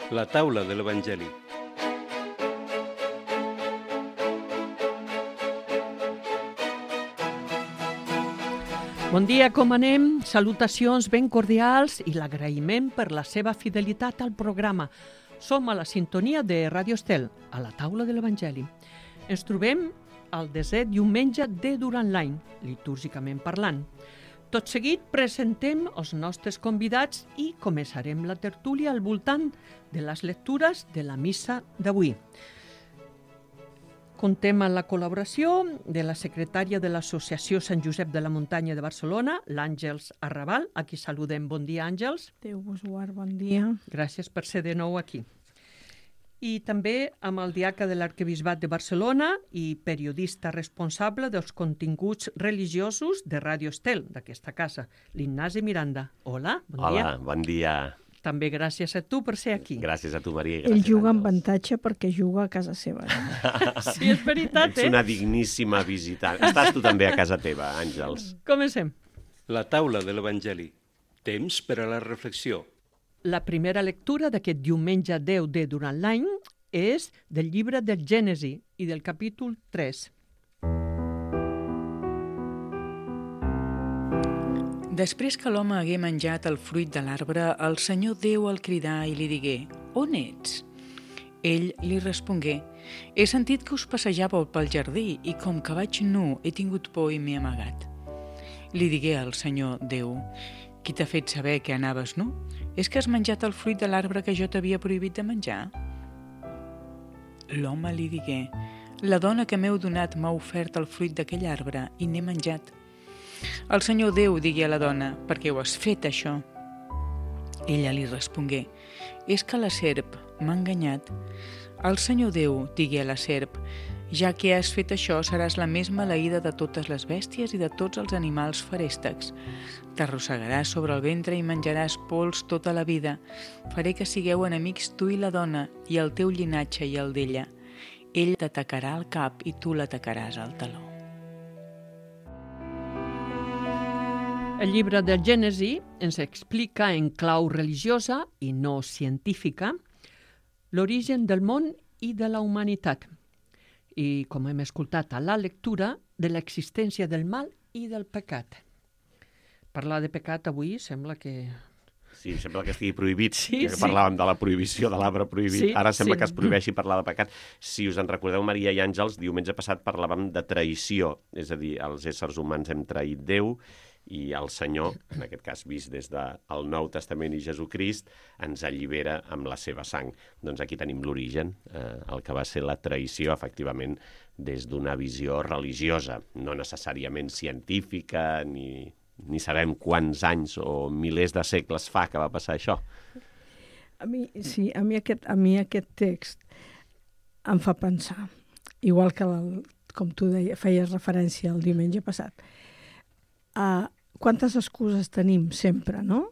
La taula de l'Evangeli. Bon dia, com anem? Salutacions ben cordials i l'agraïment per la seva fidelitat al programa. Som a la sintonia de Ràdio Estel, a la taula de l'Evangeli. Ens trobem al desè diumenge de durant l'any, litúrgicament parlant. Tot seguit presentem els nostres convidats i començarem la tertúlia al voltant de les lectures de la missa d'avui. Contem amb la col·laboració de la secretària de l'Associació Sant Josep de la Muntanya de Barcelona, l'Àngels Arrabal, a qui saludem. Bon dia, Àngels. Déu vos guard, bon dia. Gràcies per ser de nou aquí. I també amb el diaca de l'Arquebisbat de Barcelona i periodista responsable dels continguts religiosos de Ràdio Estel, d'aquesta casa, l'Ignasi Miranda. Hola, bon dia. Hola, bon dia. També gràcies a tu per ser aquí. Gràcies a tu, Maria. Ell juga amb avantatge perquè juga a casa seva. Sí, és veritat, Ets una digníssima visitant. Estàs tu també a casa teva, Àngels. Comencem. La taula de l'Evangeli. Temps per a la reflexió. La primera lectura d'aquest diumenge 10 de durant l'any és del llibre del Gènesi i del capítol 3. Després que l'home hagué menjat el fruit de l'arbre, el Senyor Déu el cridà i li digué: «On ets?» Ell li respongué: «He sentit que us passejàveu pel jardí i com que vaig nu he tingut por i m'he amagat». Li digué al Senyor Déu: «Qui t'ha fet saber que anaves nu? És que has menjat el fruit de l'arbre que jo t'havia prohibit de menjar?» L'home li digué: «La dona que m'heu donat m'ha ofert el fruit d'aquell arbre i n'he menjat». El Senyor Déu digué a la dona: «Per què ho has fet, això?» Ella li respongué: «És que la serp m'ha enganyat». El Senyor Déu digué a la serp: «Ja que has fet això, seràs la més maleïda de totes les bèsties i de tots els animals feréstecs. T'arrossegaràs sobre el ventre i menjaràs pols tota la vida. Faré que sigueu enemics tu i la dona, i el teu llinatge i el d'ella. Ell t'atacarà al cap i tu l'atacaràs al taló». El llibre del Gènesi ens explica en clau religiosa i no científica l'origen del món i de la humanitat. I, com hem escoltat a la lectura, de l'existència del mal i del pecat. Parlar de pecat avui sembla que... Sí, sembla que estigui prohibit. Sí, ja que parlàvem de la prohibició de l'arbre prohibit. Sí, Ara sembla sí. que es prohibeixi parlar de pecat. Si us en recordeu, Maria i Àngels, diumenge passat parlàvem de traïció. És a dir, els éssers humans hem traït Déu i el Senyor, en aquest cas vist des del Nou Testament i Jesucrist, ens allibera amb la seva sang. Doncs aquí tenim l'origen, el que va ser la traïció, efectivament, des d'una visió religiosa, no necessàriament científica, ni sabem quants anys o milers de segles fa que va passar això. A mi aquest text em fa pensar, igual que, com tu feies referència el diumenge passat, quantes excuses tenim sempre, no?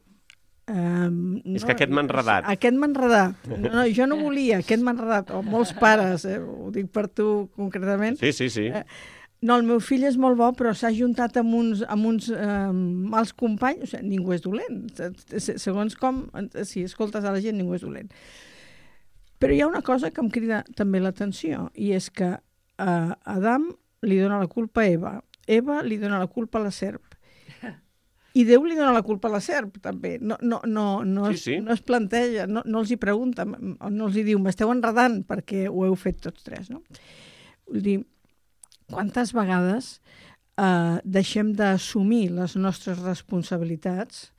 És que aquest m'ha enredat. Aquest m'ha enredat. No, jo no volia, aquest m'ha enredat. O molts pares, ho dic per tu concretament. Sí. No, el meu fill és molt bo, però s'ha juntat amb uns mals companys. O sigui, ningú és dolent. Segons com, si escoltes a la gent, ningú és dolent. Però hi ha una cosa que em crida també l'atenció, i és que Adam li dona la culpa a Eva li dona la culpa a la serp. I Déu li dona la culpa a la serp, també. No es planteja, no els hi pregunta, no els hi diu, m'esteu enredant perquè ho heu fet tots tres, no? Vull dir, quantes vegades deixem d'assumir les nostres responsabilitats?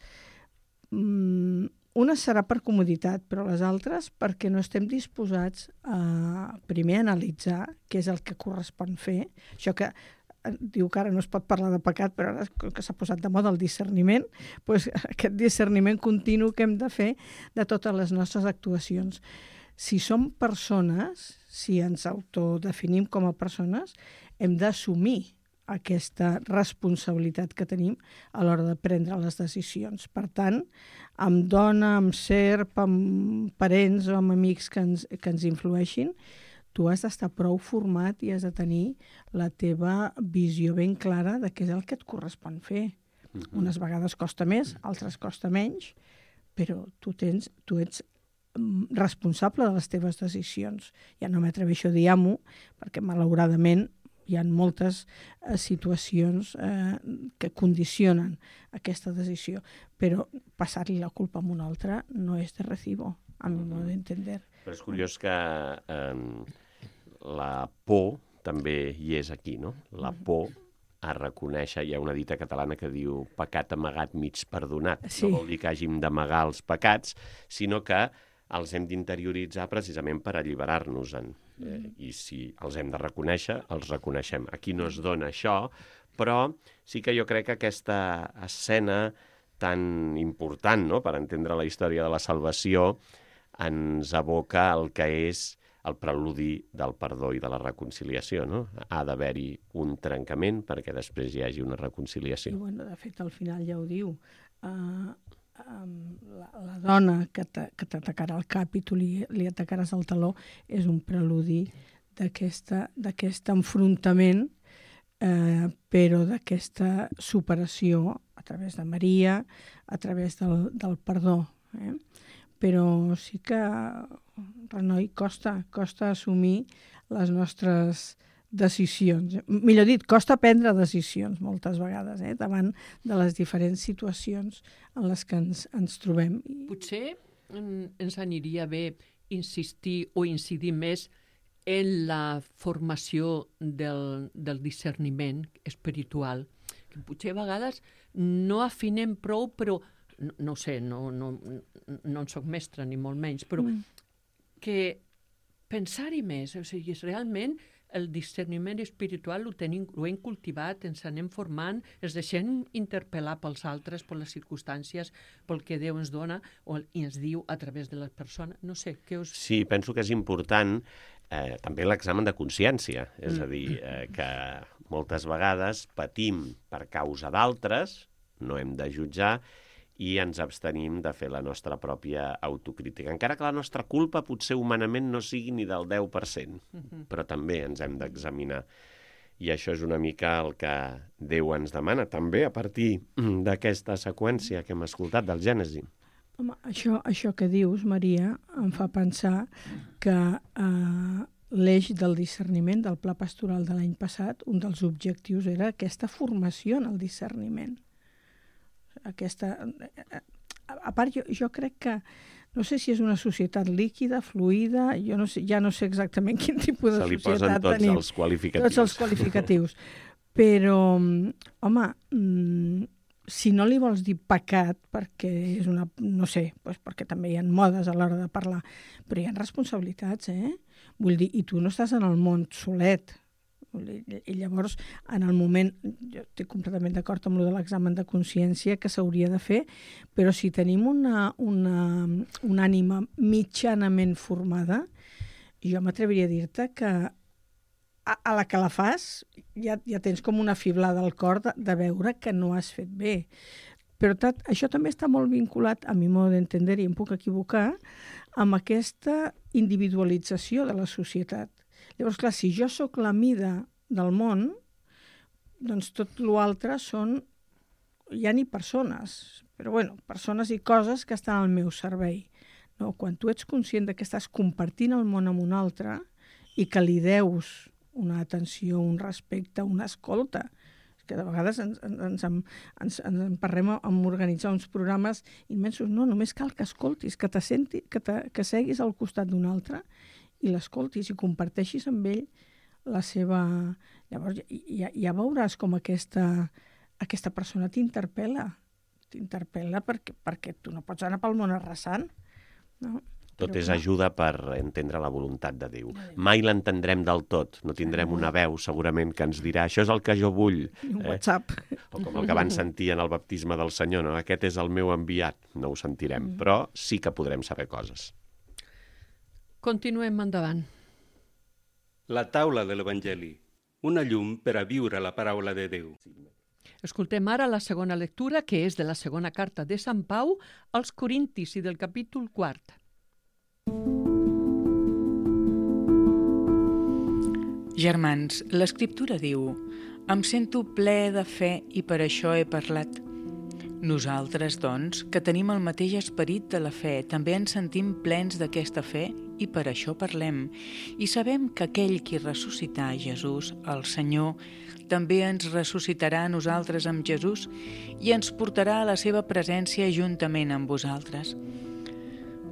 Una serà per comoditat, però les altres perquè no estem disposats a primer analitzar què és el que correspon fer. Això que diu que ara no es pot parlar de pecat, però ara que s'ha posat de moda el discerniment, doncs aquest discerniment continu que hem de fer de totes les nostres actuacions. Si som persones, si ens autodefinim com a persones, hem d'assumir aquesta responsabilitat que tenim a l'hora de prendre les decisions. Per tant, amb dona, amb serp, amb parents o amb amics que ens influeixin, tu has d'estar prou format i has de tenir la teva visió ben clara de què és el que et correspon fer. Unes vegades costa més, altres costa menys, però tu ets responsable de les teves decisions. Ja no m'atreveixo a dir amo, perquè malauradament hi ha moltes situacions que condicionen aquesta decisió, però passar-li la culpa a un altre no és de recibo, a mi modo d'entender. Però és curiós que la por també hi és aquí, no? La por a reconèixer, hi ha una dita catalana que diu pecat amagat mig perdonat. Sí. No vol dir que hàgim d'amagar els pecats, sinó que els hem d'interioritzar precisament per alliberar-nos-en. I si els hem de reconèixer, els reconeixem. Aquí no es dona això, però sí que jo crec que aquesta escena tan important, no?, per entendre la història de la salvació, ens aboca el que és el preludi del perdó i de la reconciliació, no? Ha d'haver-hi un trencament perquè després hi hagi una reconciliació. I, bueno, de fet, al final ja ho diu. La dona que t'atacarà al cap i tu li atacaràs al taló és un preludi d'aquest enfrontament, però d'aquesta superació a través de Maria, a través del perdó. Però sí que, Renoi, costa assumir les nostres decisions. Millor dit, costa prendre decisions moltes vegades, davant de les diferents situacions en les que ens trobem. Potser ens aniria bé insistir o incidir més en la formació del discerniment espiritual, que potser a vegades no afinem prou, però no ho sé, no en soc mestra ni molt menys, però que pensar-hi més, o sigui, realment el discerniment espiritual ho hem cultivat, ens anem formant, ens deixem interpel·lar pels altres, per les circumstàncies, pel que Déu ens dona i ens diu a través de les persones. No sé, què us... Sí, penso que és important també l'examen de consciència, és a dir, que moltes vegades patim per causa d'altres, no hem de jutjar, i ens abstenim de fer la nostra pròpia autocrítica. Encara que la nostra culpa potser humanament no sigui ni del 10%, però també ens hem d'examinar. I això és una mica el que Déu ens demana, també a partir d'aquesta seqüència que hem escoltat del Gènesi. Home, això que dius, Maria, em fa pensar que l'eix del discerniment del Pla Pastoral de l'any passat, un dels objectius era aquesta formació en el discerniment. A part, jo crec que, no sé si és una societat líquida, fluida, ja no sé exactament quin tipus de societat tenim. Se li posen tots els qualificatius. Tots els qualificatius. Però, home, si no li vols dir pecat, perquè és una... no sé, doncs perquè també hi ha modes a l'hora de parlar, però hi ha responsabilitats, Vull dir, i tu no estàs en el món solet. I llavors, en el moment, jo estic completament d'acord amb lo de l'examen de consciència que s'hauria de fer, però si tenim una ànima mitjanament formada, jo m'atreviria a dir-te que a la que la fas ja tens com una fiblada al cor de veure que no has fet bé. Però això també està molt vinculat, a mi modo d'entendre, i em puc equivocar, amb aquesta individualització de la societat. Llavors, clar, si jo sóc la mida del món, doncs tot l'altre són, ja ni persones, però bueno, persones i coses que estan al meu servei. No? Quan tu ets conscient que estàs compartint el món amb un altre i que li deus una atenció, un respecte, una escolta, que de vegades ens emparrem a organitzar uns programes immensos. No, només cal que escoltis, que seguis al costat d'un altre i l'escoltis i comparteixis amb ell la seva... Llavors ja veuràs com aquesta persona t'interpel·la perquè tu no pots anar pel món arrasant, no? Tot és ajuda per entendre la voluntat de Déu. Mai l'entendrem del tot, no tindrem una veu segurament que ens dirà això és el que jo vull. Un WhatsApp. O com el que van sentir en el baptisme del Senyor, no? Aquest és el meu enviat, no ho sentirem, però sí que podrem saber coses. Continuem endavant. La taula de l'Evangeli, una llum per a viure la paraula de Déu. Escoltem ara la segona lectura, que és de la segona carta de Sant Pau als Corintis i del capítol 4. Germans, l'Escriptura diu: «Em sento ple de fe i per això he parlat. Nosaltres, doncs, que tenim el mateix esperit de la fe, també ens sentim plens d'aquesta fe i per això parlem. I sabem que aquell qui ressuscità Jesús, el Senyor, també ens ressuscitarà a nosaltres amb Jesús i ens portarà a la seva presència juntament amb vosaltres.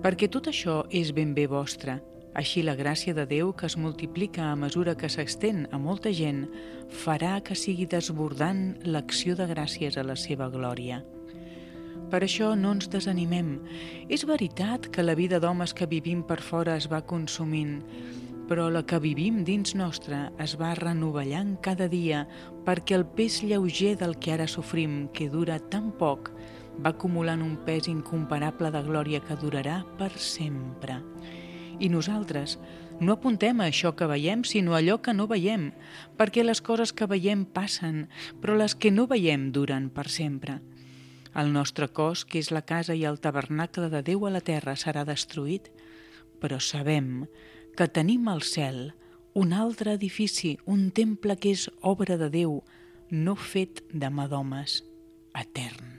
Perquè tot això és ben bé vostre. Així la gràcia de Déu, que es multiplica a mesura que s'extén a molta gent, farà que sigui desbordant l'acció de gràcies a la seva glòria. Per això no ens desanimem. És veritat que la vida d'homes que vivim per fora es va consumint, però la que vivim dins nostre es va renovellant cada dia perquè el pes lleuger del que ara sofrim, que dura tan poc, va acumulant un pes incomparable de glòria que durarà per sempre. I nosaltres no apuntem a això que veiem, sinó a allò que no veiem, perquè les coses que veiem passen, però les que no veiem duren per sempre. El nostre cos, que és la casa i el tabernacle de Déu a la terra, serà destruït, però sabem que tenim al cel un altre edifici, un temple que és obra de Déu, no fet de mà d'homes, etern.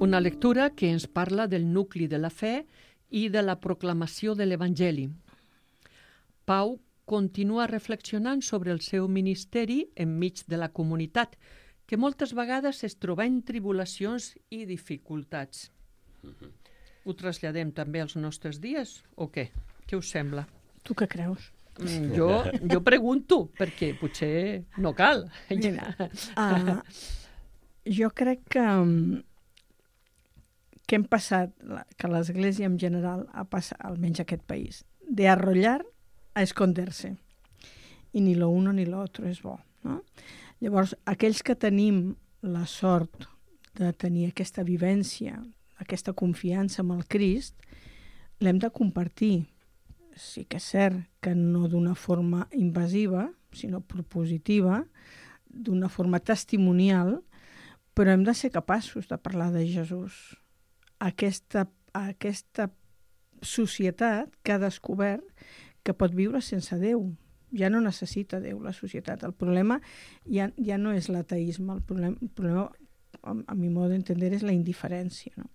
Una lectura que ens parla del nucli de la fe i de la proclamació de l'Evangeli. Pau continua reflexionant sobre el seu ministeri enmig de la comunitat, que moltes vegades es troba en tribulacions i dificultats. Ho traslladem també als nostres dies o què? Què us sembla? Tu què creus? Jo pregunto, perquè potser no cal. Mira, jo crec que hem passat, que l'Església en general ha passat, almenys aquest país, de arrollar a esconderse. I ni lo uno ni lo otro és bo, no? Llavors, aquells que tenim la sort de tenir aquesta vivència, aquesta confiança en el Crist, l'hem de compartir. Sí que és cert que no d'una forma invasiva, sinó propositiva, d'una forma testimonial, però hem de ser capaços de parlar de Jesús. Aquesta societat que ha descobert que pot viure sense Déu. Ja no necessita Déu, la societat. El problema ja no és l'ateisme, el problema, a mi modo d'entendre, és la indiferència. No?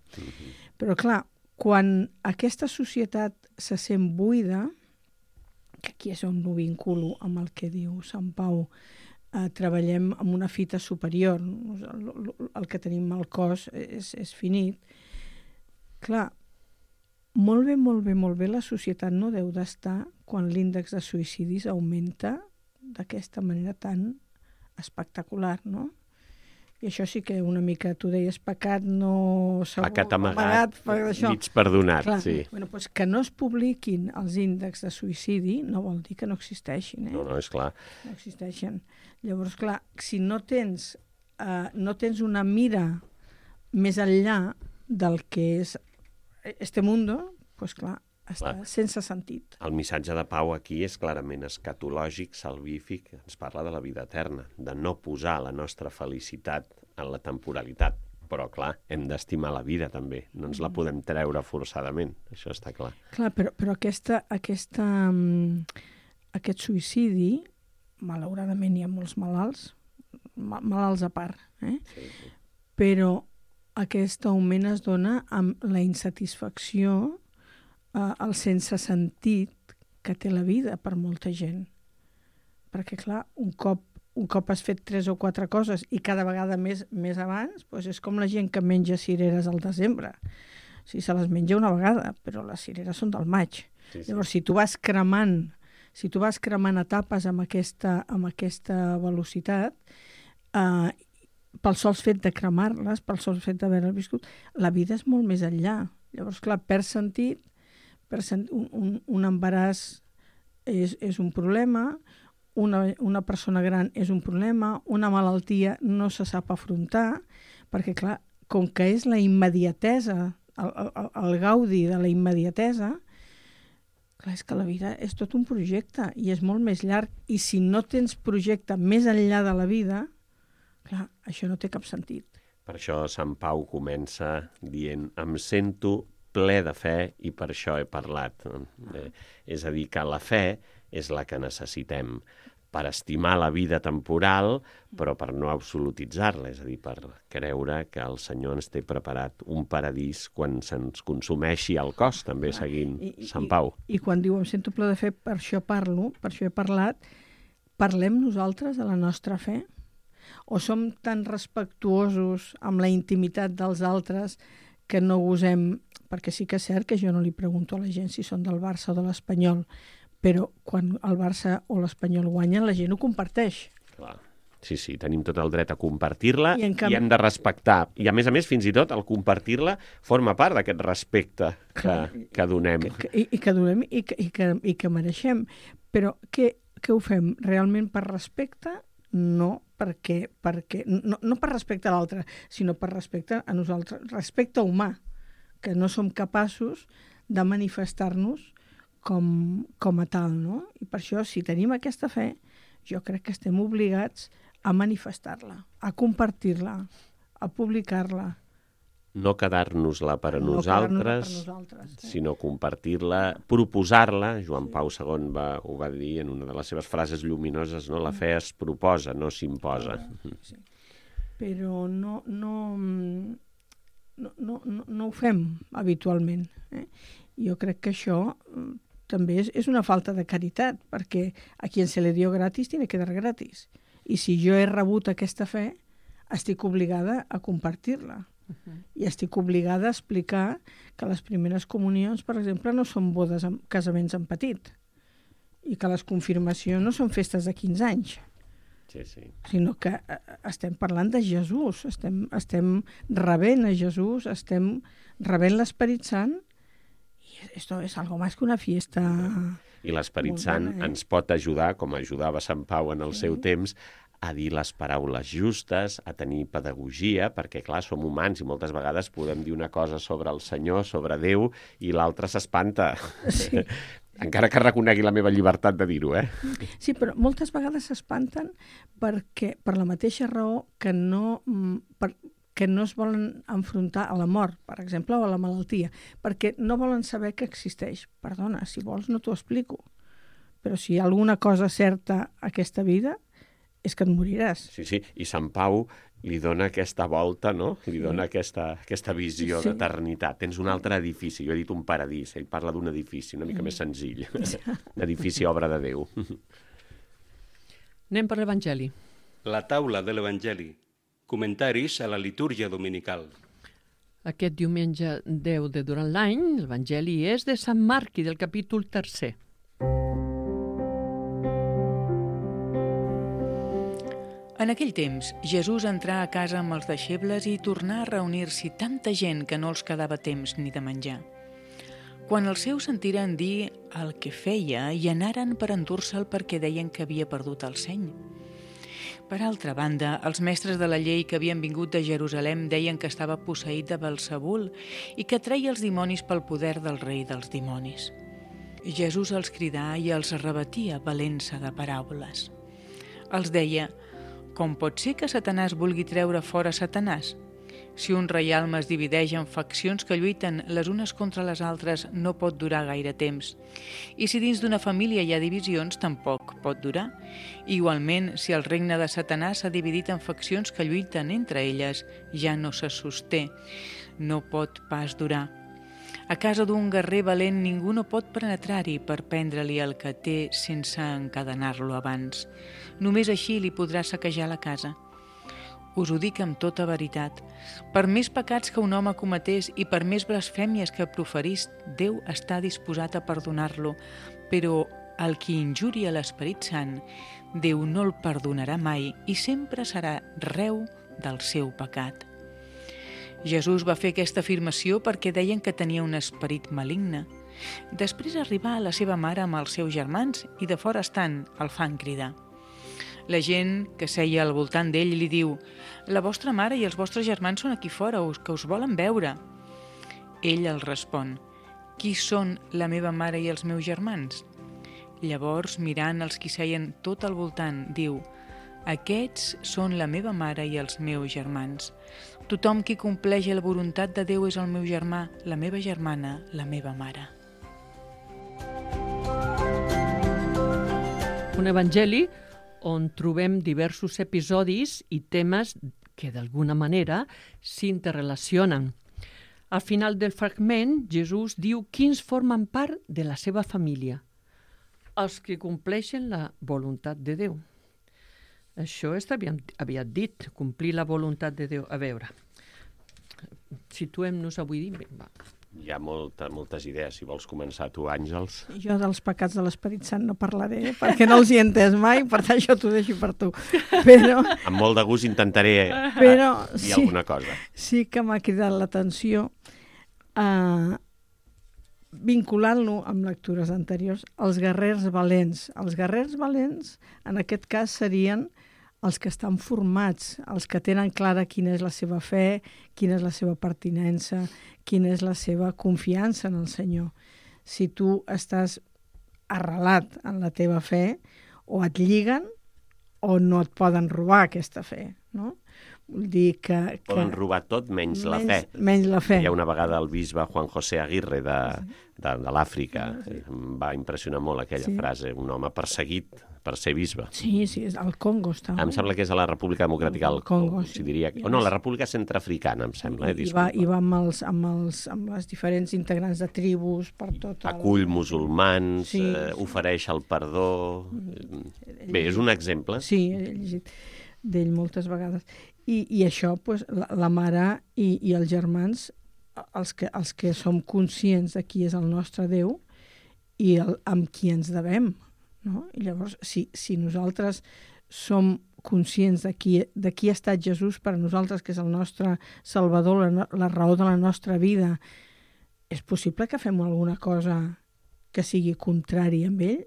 Però clar, quan aquesta societat se sent buida, que aquí és on ho vinculo amb el que diu Sant Pau, treballem amb una fita superior, el que tenim al cos és finit. Clar, molt bé, la societat no deu d'estar quan l'índex de suïcidis augmenta d'aquesta manera tan espectacular, no? I això sí que una mica, tu deies, pecat no segur, pecat amagat mig perdonat, clar, sí. Bueno, doncs que no es publiquin els índexs de suïcidi no vol dir que no existeixin, No, és clar. No existeixen. Llavors, clar, si no tens una mira més enllà del que és este mundo, doncs clar, està sense sentit. El missatge de Pau aquí és clarament escatològic, salvífic, ens parla de la vida eterna, de no posar la nostra felicitat en la temporalitat. Però, clar, hem d'estimar la vida també, no ens la podem treure forçadament, això està clar. Clar, però aquest suïcidi, malauradament hi ha molts malalts a part, Sí. Però aquest augment es dona amb la insatisfacció, el sense sentit que té la vida per molta gent. Perquè, clar, un cop has fet 3 o 4 coses i cada vegada més abans, doncs és com la gent que menja cireres al desembre. O sigui, se les menja una vegada, però les cireres són del maig. Sí. Llavors, si tu vas cremant etapes amb aquesta velocitat, pel sol fet de cremar-les, pel sol fet d'haver-les viscut, la vida és molt més enllà. Llavors, clar, perd sentit, un embaràs és un problema, una persona gran és un problema, una malaltia no se sap afrontar, perquè, clar, com que és la immediatesa, el gaudi de la immediatesa, clar, és que la vida és tot un projecte i és molt més llarg, i si no tens projecte més enllà de la vida, clar, això no té cap sentit. Per això Sant Pau comença dient: em sento ple de fe i per això he parlat. És a dir, que la fe és la que necessitem per estimar la vida temporal, però per no absolutitzar-la, és a dir, per creure que el Senyor ens té preparat un paradís quan se'ns consumeixi el cos, també seguint Sant Pau. I quan diu em sento ple de fe, per això parlo, per això he parlat, parlem nosaltres de la nostra fe? O som tan respectuosos amb la intimitat dels altres que no gosem, perquè sí que és cert que jo no li pregunto a la gent si són del Barça o de l'Espanyol, però quan el Barça o l'Espanyol guanyen, la gent ho comparteix. Clar. Sí, tenim tot el dret a compartir-la i canvi... hem de respectar. I a més, fins i tot, el compartir-la forma part d'aquest respecte que donem. Que donem i que mereixem. Però què ho fem? Realment per respecte? No, perquè no per respecte a l'altre, sinó per respecte a nosaltres. Respecte humà, que no som capaços de manifestar-nos com a tal, no? I per això, si tenim aquesta fe, jo crec que estem obligats a manifestar-la, a compartir-la, a publicar-la. No quedar-nos-la per a nosaltres, sinó compartir-la, proposar-la. Joan Pau II ho va dir en una de les seves frases lluminoses, no? La fe es proposa, no s'imposa. Sí. Però no ho fem habitualment. Jo crec que això també és una falta de caritat, perquè a qui se le dio gratis tiene que dar gratis. I si jo he rebut aquesta fe, estic obligada a compartir-la. I estic obligada a explicar que les primeres comunions, per exemple, no són casaments en petit, i que les confirmacions no són festes de 15 anys, sinó que estem parlant de Jesús, estem rebent a Jesús, estem rebent l'Esperit Sant. Esto es algo más que una fiesta. I l'Esperit Sant ens pot ajudar, com ajudava Sant Pau en el seu temps, a dir les paraules justes, a tenir pedagogia, perquè, clar, som humans i moltes vegades podem dir una cosa sobre el Senyor, sobre Déu, i l'altre s'espanta. Sí. Encara que reconegui la meva llibertat de dir-ho, Sí, però moltes vegades s'espanten per la mateixa raó que no es volen enfrontar a la mort, per exemple, o a la malaltia, perquè no volen saber que existeix. Perdona, si vols no t'ho explico, però si hi ha alguna cosa certa a aquesta vida, és que et moriràs. Sí, i Sant Pau li dona aquesta volta, no? Li dona aquesta visió d'eternitat. Tens un altre edifici, jo he dit un paradís, ell parla d'un edifici una mica més senzill, edifici obra de Déu. Anem per l'Evangeli. La taula de l'Evangeli. Comentaris a la litúrgia dominical. Aquest diumenge 10 de durant l'any, l'Evangeli és de Sant Marc i del capítol 3. En aquell temps, Jesús entrà a casa amb els deixebles i tornà a reunir-s'hi tanta gent que no els quedava temps ni de menjar. Quan els seus sentiren dir el que feia, i anaren per endur-se'l perquè deien que havia perdut el seny. Per altra banda, els mestres de la llei que havien vingut de Jerusalem deien que estava posseït de Belzebul i que treia els dimonis pel poder del rei dels dimonis. Jesús els cridà i els rebatia valent-se de paraules. Els deia: com pot ser que Satanàs vulgui treure fora Satanàs? Si un reialme es divideix en faccions que lluiten les unes contra les altres, no pot durar gaire temps. I si dins d'una família hi ha divisions, tampoc pot durar. Igualment, si el regne de Satanàs s'ha dividit en faccions que lluiten entre elles, ja no se sosté. No pot pas durar. A casa d'un guerrer valent ningú no pot penetrar-hi per prendre-li el que té sense encadenar-lo abans. Només així li podrà saquejar la casa. Us ho dic amb tota veritat. Per més pecats que un home cometés i per més blasfèmies que proferís, Déu està disposat a perdonar-lo, però el qui injuria l'Esperit Sant, Déu no el perdonarà mai i sempre serà reu del seu pecat. Jesús va fer aquesta afirmació perquè deien que tenia un esperit maligne. Després arribà a la seva mare amb els seus germans i de fora estant el fan cridar. La gent que seia al voltant d'ell li diu: la vostra mare i els vostres germans són aquí fora, que us volen veure. Ell els respon: qui són la meva mare i els meus germans? Llavors, mirant els qui seien tot al voltant, diu: aquests són la meva mare i els meus germans. Tothom qui compleix la voluntat de Déu és el meu germà, la meva germana, la meva mare. Un evangeli on trobem diversos episodis i temes que d'alguna manera s'interrelacionen. Al final del fragment, Jesús diu quins formen part de la seva família, els que compleixen la voluntat de Déu. Això està aviat dit, complir la voluntat de Déu. A veure, situem-nos avui. Va. Hi ha moltes idees. Si vols començar tu, Àngels. Jo dels pecats de l'Esperit Sant no parlaré, perquè no els hi he entès mai, per tant això t'ho deixo per tu. Però Amb molt de gust intentaré dir alguna cosa. Sí que m'ha cridat l'atenció vinculant-lo amb lectures anteriors, els guerrers valents. Els guerrers valents, en aquest cas, serien els que estan formats, els que tenen clara quina és la seva fe, quina és la seva pertinença, quina és la seva confiança en el Senyor. Si tu estàs arrelat en la teva fe, o et lliguen o no et poden robar aquesta fe, no? Vull dir que Poden robar tot menys la fe. Menys la fe. Hi ha una vegada el bisbe Juan José Aguirre de l'Àfrica. Em va impressionar molt aquella frase, un home perseguit per ser bisbe. Sí, és al Congo està. Em sembla que és a la República Democràtica del Congo, si diria. O no, la República Centreafricana, em sembla. I va amb les diferents integrants de tribus per tot. Acull musulmans, ofereix el perdó. Bé, és un exemple. Sí, he llegit d'ell moltes vegades. I això, pues, la mare i els germans, els que som conscients de qui és el nostre Déu i amb qui ens devem. No? I llavors, si nosaltres som conscients de qui ha estat Jesús per a nosaltres, que és el nostre Salvador, la raó de la nostra vida, és possible que fem alguna cosa que sigui contrària amb ell?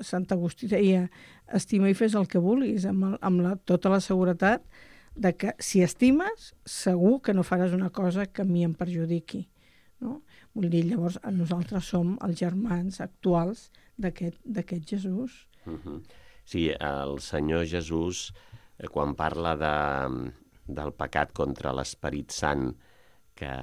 Sant Agustí deia, estima i fes el que vulguis, amb tota la seguretat de que si estimes, segur que no faràs una cosa que a mi em perjudiqui. No? Vull dir, llavors, nosaltres som els germans actuals d'aquest Jesús. Sí, el Senyor Jesús, quan parla del pecat contra l'Esperit Sant que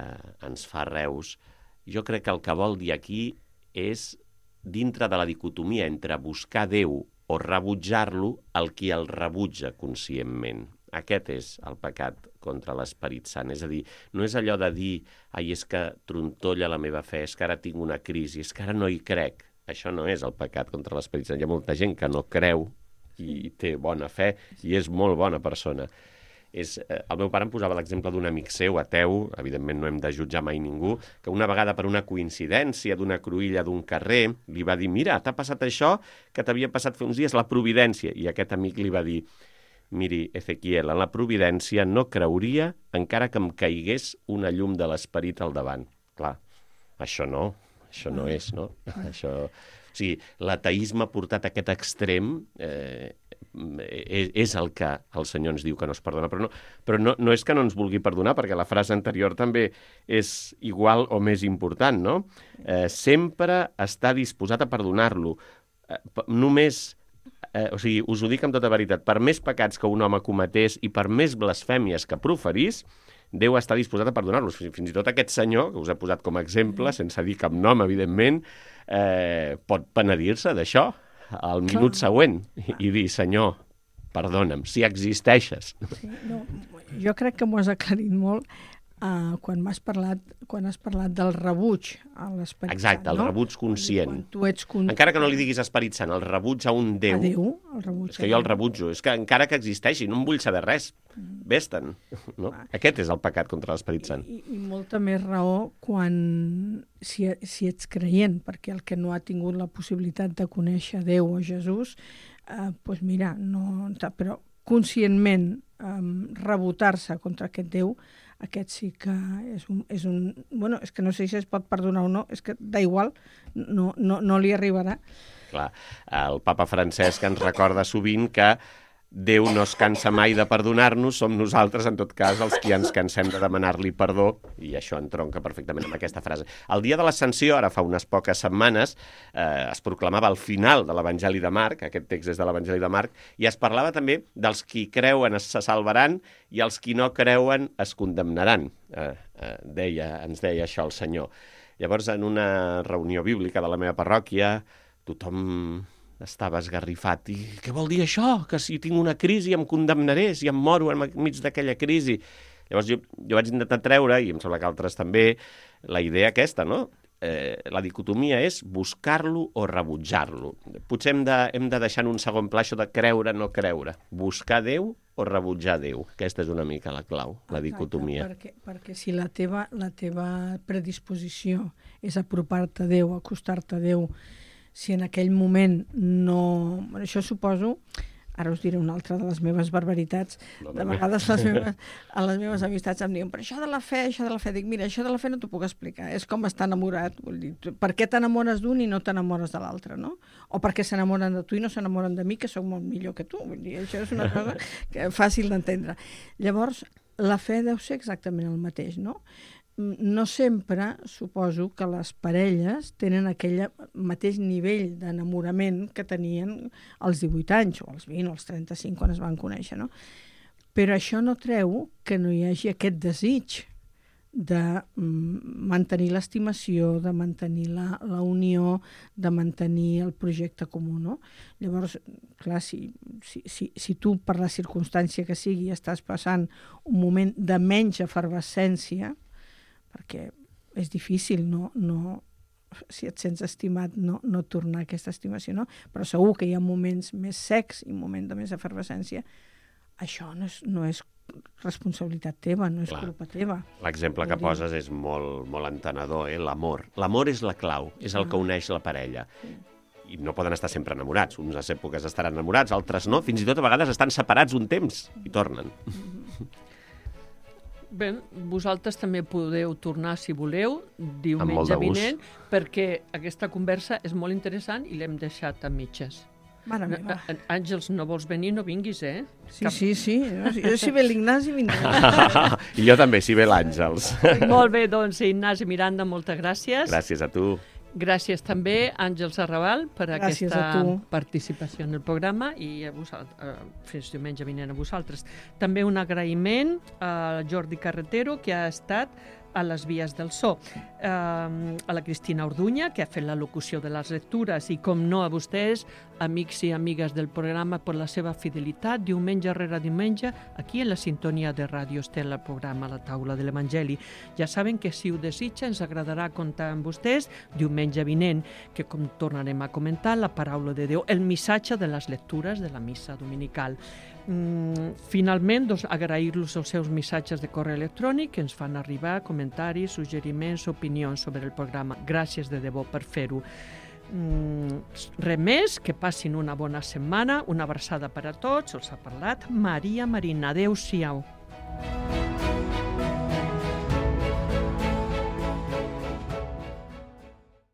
ens fa reus, jo crec que el que vol dir aquí és, dintre de la dicotomia entre buscar Déu o rebutjar-lo, el qui el rebutja conscientment. Aquest és el pecat contra l'Esperit Sant. És a dir, no és allò de dir ai, és que trontolla la meva fe, és que ara tinc una crisi, és que ara no hi crec. Això no és el pecat contra l'Esperit Sant. Hi ha molta gent que no creu i té bona fe i és molt bona persona. El meu pare em posava l'exemple d'un amic seu, ateu, evidentment no hem de jutjar mai ningú, que una vegada per una coincidència d'una cruïlla d'un carrer li va dir, mira, t'ha passat això que t'havia passat fa uns dies, la providència. I aquest amic li va dir, miri, Ezequiel, en la providència no creuria encara que em caigués una llum de l'esperit al davant. Clar, això no és, no? Això... O sigui, l'ateisme portat a aquest extrem és el que el Senyor ens diu que no es perdona. Però no és que no ens vulgui perdonar, perquè la frase anterior també és igual o més important, no? Sempre està disposat a perdonar-lo. Només... o sigui, us ho dic amb tota veritat, per més pecats que un home cometés i per més blasfèmies que proferís, Déu està disposat a perdonar-los. Fins i tot aquest senyor, que us he posat com a exemple, sense dir cap nom, evidentment, pot penedir-se d'això al minut següent i dir, Senyor, perdona'm, si existeixes. Sí, no, jo crec que m'ho has aclarit molt quan has parlat del rebuig a l'Esperit Sant. Exacte, el rebuig conscient. Quan tu ets encara que no li diguis Esperit Sant, el rebuig a un Déu. A Déu, el rebuig. És que jo el rebutjo. És que encara que existeixi, no em vull saber res. Vés-te'n. No? Aquest és el pecat contra l'Esperit Sant. I molta més raó si ets creient, perquè el que no ha tingut la possibilitat de conèixer Déu o Jesús, doncs mira, però conscientment rebotar-se contra aquest Déu, aquest sí que és un... Bueno, és que no sé si es pot perdonar o no, és que d'igual, no li arribarà. Clar, el papa Francesc ens recorda sovint que Déu no es cansa mai de perdonar-nos, som nosaltres, en tot cas, els qui ens cansem de demanar-li perdó, i això entronca perfectament amb aquesta frase. El dia de l'Ascensió, ara fa unes poques setmanes, es proclamava el final de l'Evangeli de Marc, aquest text és de l'Evangeli de Marc, i es parlava també dels qui creuen se salvaran i els qui no creuen es condemnaran. Ens deia això el Senyor. Llavors, en una reunió bíblica de la meva parròquia, tothom estava esgarrifat. I què vol dir això? Que si tinc una crisi em condemnaré, si em moro enmig d'aquella crisi. Llavors jo vaig intentar treure, i em sembla que altres també, la idea aquesta, no? La dicotomia és buscar-lo o rebutjar-lo. Potser hem de deixar en un segon pla això de creure, no creure. Buscar Déu o rebutjar Déu. Aquesta és una mica la clau, la dicotomia. Perquè si la teva predisposició és apropar-te a Déu, acostar-te a Déu, si en aquell moment no... Això suposo... Ara us diré una altra de les meves barbaritats. De vegades a les meves amistats em diuen però això de la fe... Dic, mira, això de la fe no t'ho puc explicar. És com estar enamorat. Vull dir, per què t'enamores d'un i no t'enamores de l'altre, no? O per què s'enamoren de tu i no s'enamoren de mi, que sóc molt millor que tu. Vull dir, això és una cosa fàcil d'entendre. Llavors, la fe deu ser exactament el mateix, no? No sempre suposo que les parelles tenen aquell mateix nivell d'enamorament que tenien als 18 anys, o als 20 o als 35 quan es van conèixer, no? Però això no treu que no hi hagi aquest desig de mantenir l'estimació, de mantenir la unió, de mantenir el projecte comú, no? Llavors, clar, si tu per la circumstància que sigui estàs passant un moment de menys efervescència, perquè és difícil si et sents estimat no tornar a aquesta estimació, no? Però segur que hi ha moments més secs i moments de més efervescència. Això no és responsabilitat teva, no és culpa teva. L'exemple que poses és molt, molt entenedor, l'amor. L'amor és la clau, és el que uneix la parella. I no poden estar sempre enamorats. Unes èpoques estaran enamorats, altres no. Fins i tot a vegades estan separats un temps i tornen. Bé, vosaltres també podeu tornar, si voleu, diumenge vinent, perquè aquesta conversa és molt interessant i l'hem deixat a mitges. Mare meva. Àngels, no vols venir, no vinguis, eh? Sí. Jo si ve l'Ignasi vindré. I jo també, si ve l'Àngels. Molt bé, doncs, Ignasi Miranda, moltes gràcies. Gràcies a tu. Gràcies també, Àngels Arrabal, per aquesta participació en el programa i a vosaltres, fins diumenge vinent a vosaltres. També un agraïment a Jordi Carretero, que ha estat a les vies del so, a la Cristina Orduña, que ha fet la locució de les lectures, i com no a vostès, amics i amigues del programa, per la seva fidelitat, diumenge rere diumenge, aquí en la sintonia de Ràdio Estel, el programa La Taula de l'Evangeli. Ja saben que si ho desitja ens agradarà comptar amb vostès diumenge vinent, que com tornarem a comentar, la paraula de Déu, el missatge de les lectures de la missa dominical. Finalment, doncs, agrair-los els seus missatges de correu electrònic que ens fan arribar comentaris, suggeriments, opinions sobre el programa. Gràcies de debò per fer-ho. Res més, que passin una bona setmana, una abraçada per a tots. Els ha parlat Maria Marina. Adéu-siau.